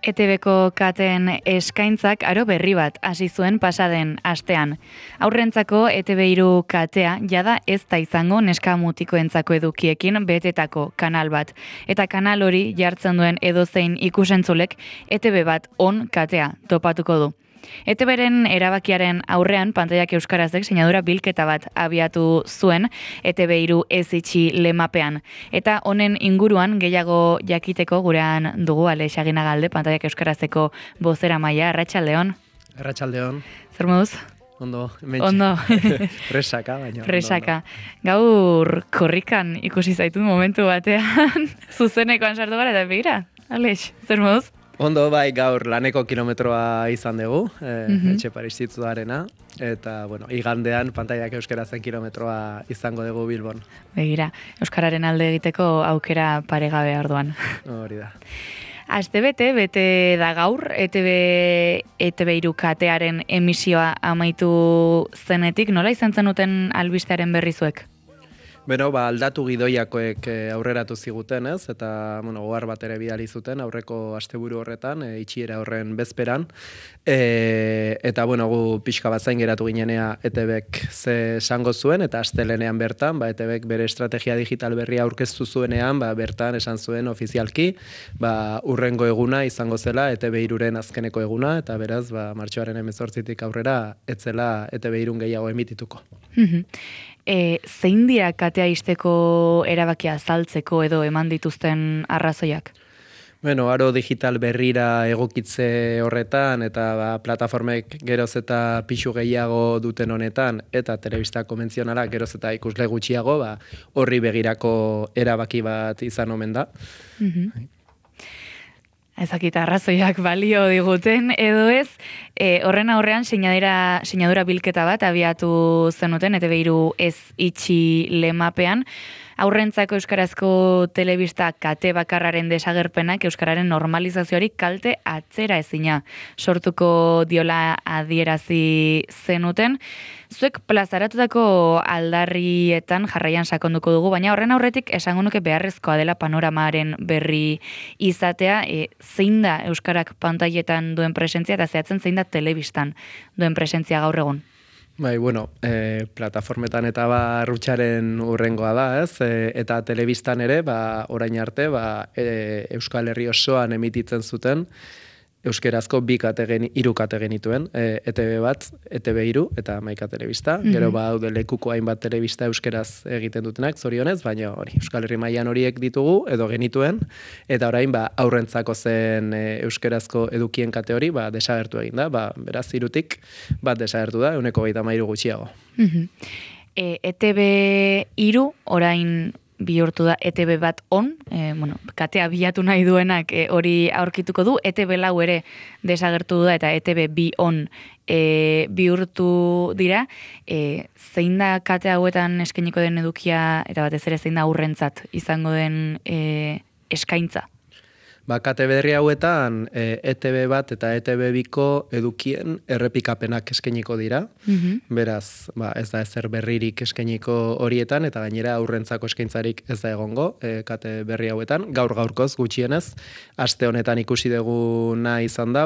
ETBko kateen eskaintzak aro berri bat hasi zuen pasaden astean. Aurrentzako ETB3 katea jada ez da izango neska mutikoentzako edukiekin betetako kanal bat. Eta kanal hori jartzen duen edozein ikusentzulek ETB bat on katea topatuko du. ETBren erabakiaren aurrean pantaiak euskarazek sinadura bilketa bat abiatu zuen ETB3 ez itxi lemapean. Eta honen inguruan gehiago jakiteko gurean dugu Alex Aginagalde, pantaiak euskarazeko bozera maila. Arratsaldeon. Arratsaldeon. Zer moduz? Ondo, hementxe. Ondo. Presaka, baina. Presaka. Gaur korrikan ikusi zaitut momentu batean, zuzenekoan sartu gara eta begira. Alex, zer moduz? Ondo, bai, gaur laneko kilometroa izan dugu, etxe Institutuarena, eta, bueno, igandean pantaiak euskarazen kilometroa izango dugu Bilbon. Begira, euskararen alde egiteko aukera paregabe orduan. Hori da. Astebete bete da gaur, ETB3 katearen emisioa amaitu zenetik, nola izan zenuten albistearen berrizuek? Beno, aldatu gidoiakoek aurreratu ziguten, ez? Eta, ohar bat ere bidali zuten aurreko asteburu horretan, itxiera horren bezperan. Eta, gu pixka bat zain geratu ginenea ETBek ze esango zuen, eta astelenean bertan, ETBek bere estrategia digital berria aurkeztu zuenean, bertan esan zuen ofizialki, urrengo eguna izango zela ETB3ren azkeneko eguna, eta beraz, martxoaren 18tik aurrera, etzela ETB3 gehiago emitituko. Zein dira katea izteko erabakia azaltzeko edo eman dituzten arrazoiak? Aro digital berrira egokitze horretan eta plataformek geroz eta pixu gehiago duten honetan eta telebista konbentzionalak geroz eta ikusle gutxiago, horri begirako erabaki bat izan omen da. Ezakita arrazoiak balio diguten, edo ez, horren aurrean sinadura bilketa bat abiatu zenuten, ETB3 ez itxi lemapean, aurrentzako euskarazko telebista kate bakarraren desagerpenak euskararen normalizazioari kalte atzera ezina sortuko diola adierazi zenuten. Zuek plazaratutako aldarrietan jarraian sakonduko dugu, baina horren aurretik esango nuke beharrezkoa dela panoramaren berri izatea, zein da euskarak pantailetan duen presentzia eta zehatzen zein da telebistan duen presentzia gaur egun? Plataformetan eta rutxaren urrengoa da, ez? Eta telebistan ere, orain arte, Euskal Herri osoan emititzen zuten, euskerazko hiru kate genituen, ETB bat, ETB3 eta Hamaika telebista. Gero daude lekuko hainbat telebista euskeraz egiten dutenak, zorionez, baina Euskal Herri mailan horiek ditugu, edo genituen, eta orain aurrentzako zen euskerazko edukien kate hori, desagertu egin da, beraz hirutik bat desagertu da, 1,33 gutxiago. ETB3 orain bihurtu da ETB bat on, katea bilatu nahi duenak hori aurkituko du, ETB4 ere desagertu da eta ETB2 on bihurtu dira. Zein da kate hauetan eskainiko den edukia eta batez ere zein da aurrentzat izango den eskaintza? Kate berri hauetan ETB bat eta ETB2ko edukien errepikapenak eskainiko dira. Beraz, ez da ezer berririk eskainiko horietan eta gainera aurrentzako eskaintzarik ez da egongo kate berri hauetan. Gaurkoz gutxienez, aste honetan ikusi duguna izan da,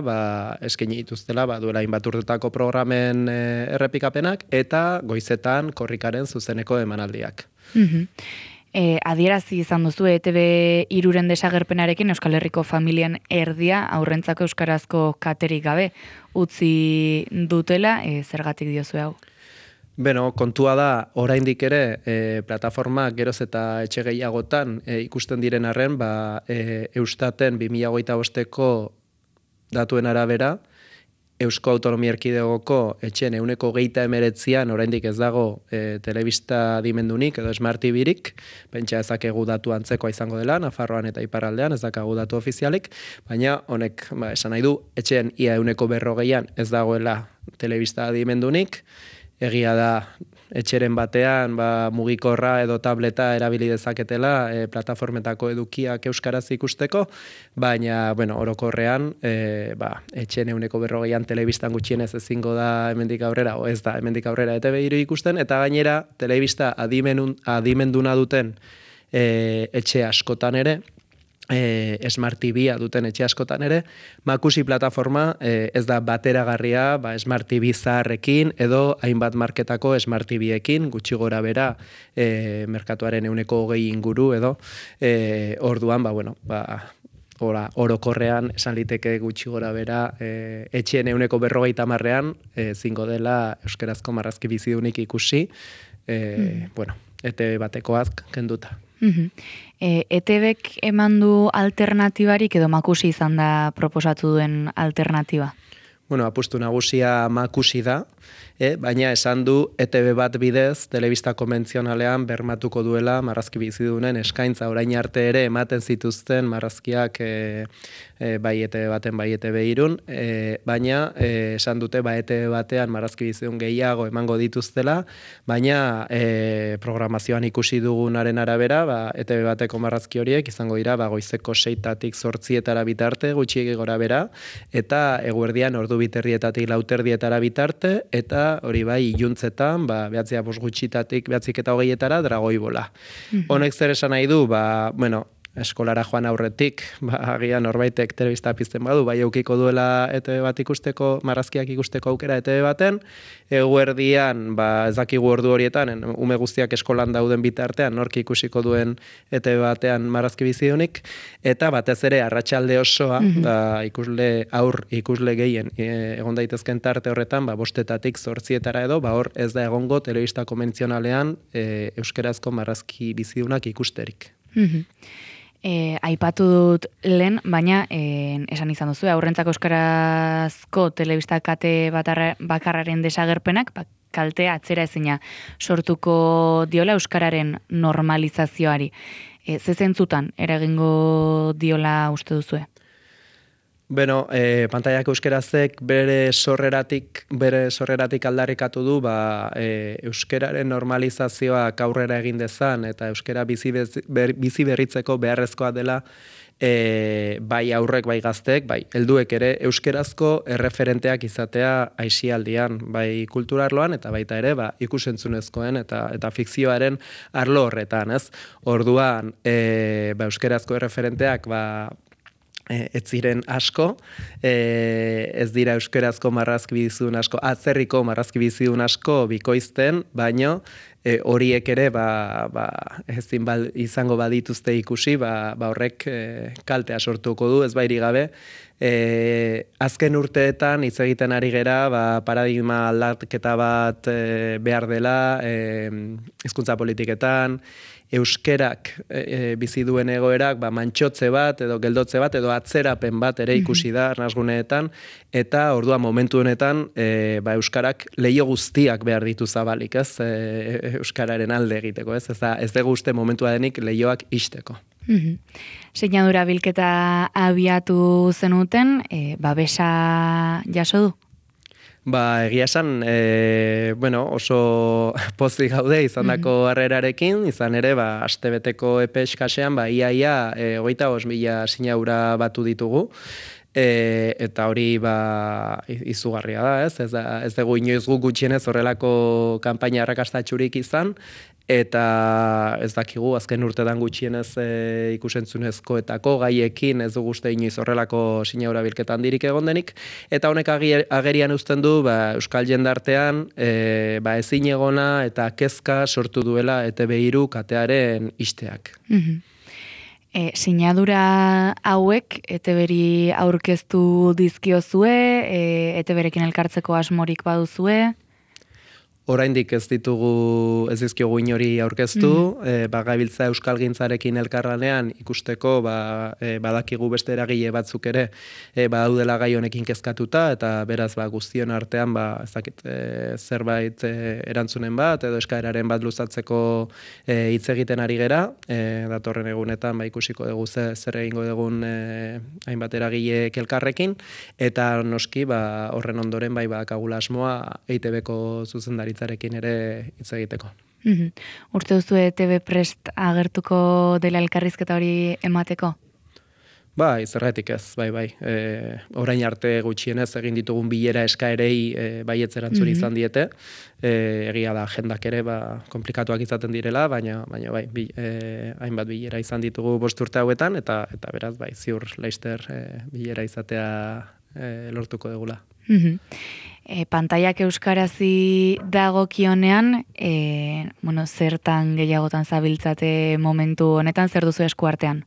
eskaini dituztela duela hainbat urtetako programen errepikapenak eta goizetan korrikaren zuzeneko emanaldiak. Adierazi izan duzu ETB3ren desagerpenarekin Euskal Herriko familian erdia aurrentzako euskarazko katerik gabe utzi dutela, zergatik diozu hau? Kontua da, oraindik ere, plataformak geroz eta etxe gehiagotan ikusten diren arren, Eustaten 2025ko datuen arabera, Eusko Autonomia Erkidegoko etxen 29%an oraindik ez dago telebista adimendunik edo Smart TV-rik, pentsa ezakegu datu antzekoa izango dela, Nafarroan eta Iparraldean ez dakagu datu ofizialik, baina honek esan nahi du, etxen ia 40%an ez dagoela telebista adimendunik, egia da etxeren batean mugikorra edo tableta erabili dezaketela plataformetako edukiak euskaraz ikusteko, baina orokorrean etxen 40%an telebistan gutxienez ezingo da hemendik aurrera, o ez da hemendik aurrera ETB3 ikusten, eta gainera telebista adimenduna duten etxe askotan ere Smart TV-a duten etxe askotan ere, Makusi plataforma ez da bateragarria Smart TV zaharrekin edo hainbat marketako Smart TV-ekin, gutxi gora bera merkatuaren 20% inguru edo orduan, orokorrean esan liteke gutxi gora bera etxeen 40%ean zingo dela euskarazko marrazki bizidunik ikusi, ETV batekoak kenduta. ETVek eman du alternatibarik edo Makusi izan da proposatu duen alternatiba? Apustu nagusia Makusi da, baina esan du ETV bat bidez, telebista konbentzionalean bermatuko duela marrazki bizidunen eskaintza orain arte ere ematen zituzten marrazkiak bai ETV baten, bai ETV irun, baina esan dute ETV batean marrazki bizidun gehiago emango dituztela, baina programazioan ikusi dugunaren arabera, ETV bateko marrazki horiek izango dira goizeko 6tatik 8etara bitarte, gutxiegi gora bera, eta eguerdian ordu biterdietatik 4:00 bitarte, eta hori bai iluntzetan, 9:20-9:20etara dragoibola. Honek zer esan nahi du, eskolara joan aurretik, agian norbaitek telebista pizten badu, eukiko duela ETV bat ikusteko, marrazkiak ikusteko aukera ETV baten, eguerdian, ez dakigu ordu horietan, ume guztiak eskolan dauden bitartean, nork ikusiko duen ETV batean marrazki bizidunik, eta batez ere arratsalde osoa, ikusle gehien, egon daitezken tarte horretan, 5:00-etatik 8:00etara edo, hor ez da egongo telebista konbentzionalean euskarazko marrazki bizidunak ikusterik. Aipatu dut lehen, baina esan izan duzu, aurrentzako euskarazko telebista kate bakarraren desagerpenak, kalte atzera ezina sortuko diola euskararen normalizazioari. Ze zentzutan eragingo diola uste duzue? Pantaiak euskerazek bere sorreratik aldarrikatu du euskeraren normalizazioak aurrera egin dezan eta euskera bizi berritzeko beharrezkoa dela bai aurrek, bai gazteek, bai helduek ere euskerazko erreferenteak izatea aisialdian, bai kulturarloan eta baita ere ikusentzunezkoen eta fikzioaren arlo horretan, ez? Orduan, euskerazko erreferenteak ez ziren asko, ez dira euskarazko marrazki bizidun asko, atzerriko marrazki bizidun asko bikoizten, baino horiek ere ezin izango badituzte ikusi, horrek kaltea sortuko du, ez bairi gabe. Azken urteetan hitz egiten ari gera, paradigma aldaketa bat behar dela, hizkuntza politiketan, euskerak bizi duen egoerak mantxotze bat edo geldotze bat edo atzerapen bat ere ikusi da arnasguneetan, eta orduan momentu honetan euskarak leiho guztiak behar ditu zabalik, ez? Euskararen alde egiteko, ez? Ez dugu uste momentua denik leihoak ixteko. Sinadura bilketa abiatu zenuten, babesa jaso du? Egia esan, oso pozik gaude izandako harrerarekin, izan ere, astebeteko epe eskasean, iaia 25.000 sinadura batu ditugu, eta hori izugarria da, ez? Ez dugu inoiz guk gutxienez horrelako kanpaina arrakastatxurik izan, eta ez dakigu azken urtetan gutxienez ikusentzunezkoetako gaiekin ez dugu uste inoiz horrelako sinadura bilketa handirik egon denik, eta honek agerian uzten du euskal jendartean ezin egona eta kezka sortu duela ETV3 katearen ixteak. Sinadura hauek ETV-ri aurkeztu dizkiozue, ETV-rekin elkartzeko asmorik baduzue? Oraindik ez dizkiogu inori aurkeztu, gabiltza euskalgintzarekin elkarlanean ikusteko badakigu beste eragile batzuk ere badaudela gai honekin kezkatuta, eta beraz guztion artean zerbait erantzunen bat edo eskaeraren bat luzatzeko hitz egiten ari gera, datorren egunetan ikusiko dugu zer egingo dugun hainbat eragile elkarrekin, eta noski horren ondoren bakagula asmoa EITB-ko zuzendaritzarekin ere hitz egiteko. Uste duzu ETV prest agertuko dela elkarrizketa hori emateko? Bai, zergatik ez, bai. Orain arte gutxienez egin ditugun bilera eskaerei baietz erantzun izan diete. Egia da, agendak ere komplikatuak izaten direla, baina bai, hainbat bilera izan ditugu 5 urte hauetan, eta beraz, bai, ziur laster bilera izatea lortuko dugula. Pantaiak euskarazi dagokionean, zertan gehiagotan zabiltzate momentu honetan, zer duzu esku artean?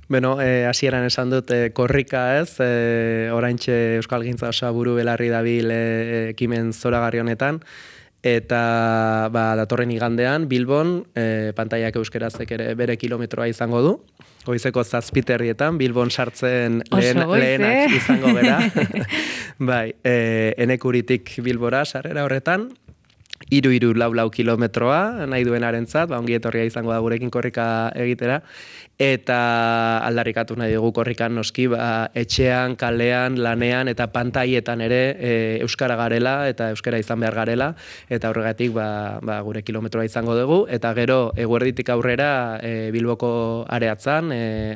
Beno, hasieran esan dut korrika ez, oraintxe Euskalgintza Osaburu belarri dabil ekimen zoragarri honetan, eta datorren igandean Bilbon pantaiak euskerazek ere bere kilometroa izango du, goizeko 7:00 Bilbon sartzen lehenak izango gera. Bai, Enekuritik Bilbora sarrera horretan, 3-4 kilometroa nahi duenarentzat, ongi etorria izango da gurekin korrika egitera, eta aldarrikatu nahi dugu korrikan noski, etxean, kalean, lanean eta pantaietan ere euskara garela eta euskara izan behar garela, eta horregatik gure kilometroa izango dugu, eta gero eguerditik aurrera Bilboko areatzan,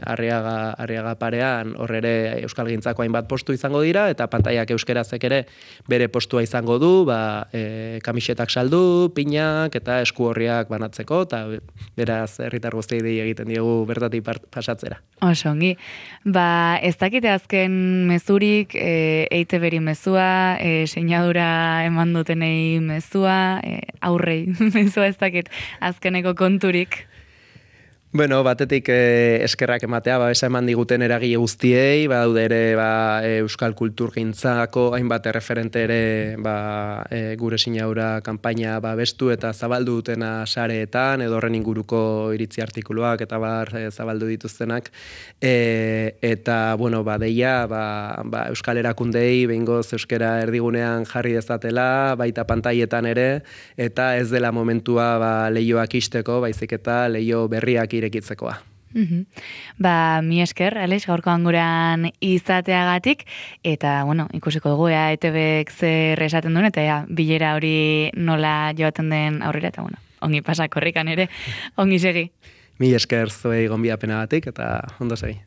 Arriaga parean horre Euskalgintzako hainbat postu izango dira, eta pantaiak euskarazek ere bere postua izango du, kamisetak saldu, pinak eta esku horriak banatzeko, eta beraz herritar guztiei dei egiten diegu bertatik pasatzera. Oso ongi. Ez dakite azken mezurik, EITB-ri mezua, seinadura eman dutenei mezua, aurrei mezua ez dakit azkeneko konturik. Bueno, batetik eskerrak ematea, babesa eman diguten eragile guztiei, daude ere euskal kulturgintzako hainbat erreferente ere gure sinaura kanpaina bestu eta zabaldu dutena sareetan, edo horren inguruko iritzi artikuluak eta zabaldu dituztenak, eta deia euskal erakundei behingoz euskara erdigunean jarri dezatela, baita pantaietan ere, eta ez dela momentua lehioak isteko, baizik eta lehio berriak irekitzekoa. Mi esker, Alex, gaurkoan gurean izateagatik, eta, ikusiko dugu, EITB-ek zer esaten duen, eta bilera hori nola joaten den aurrera, eta, ongi pasa korrikan ere, ongi segi. Mi esker zuei gonbidapenagatik, eta ondo segi.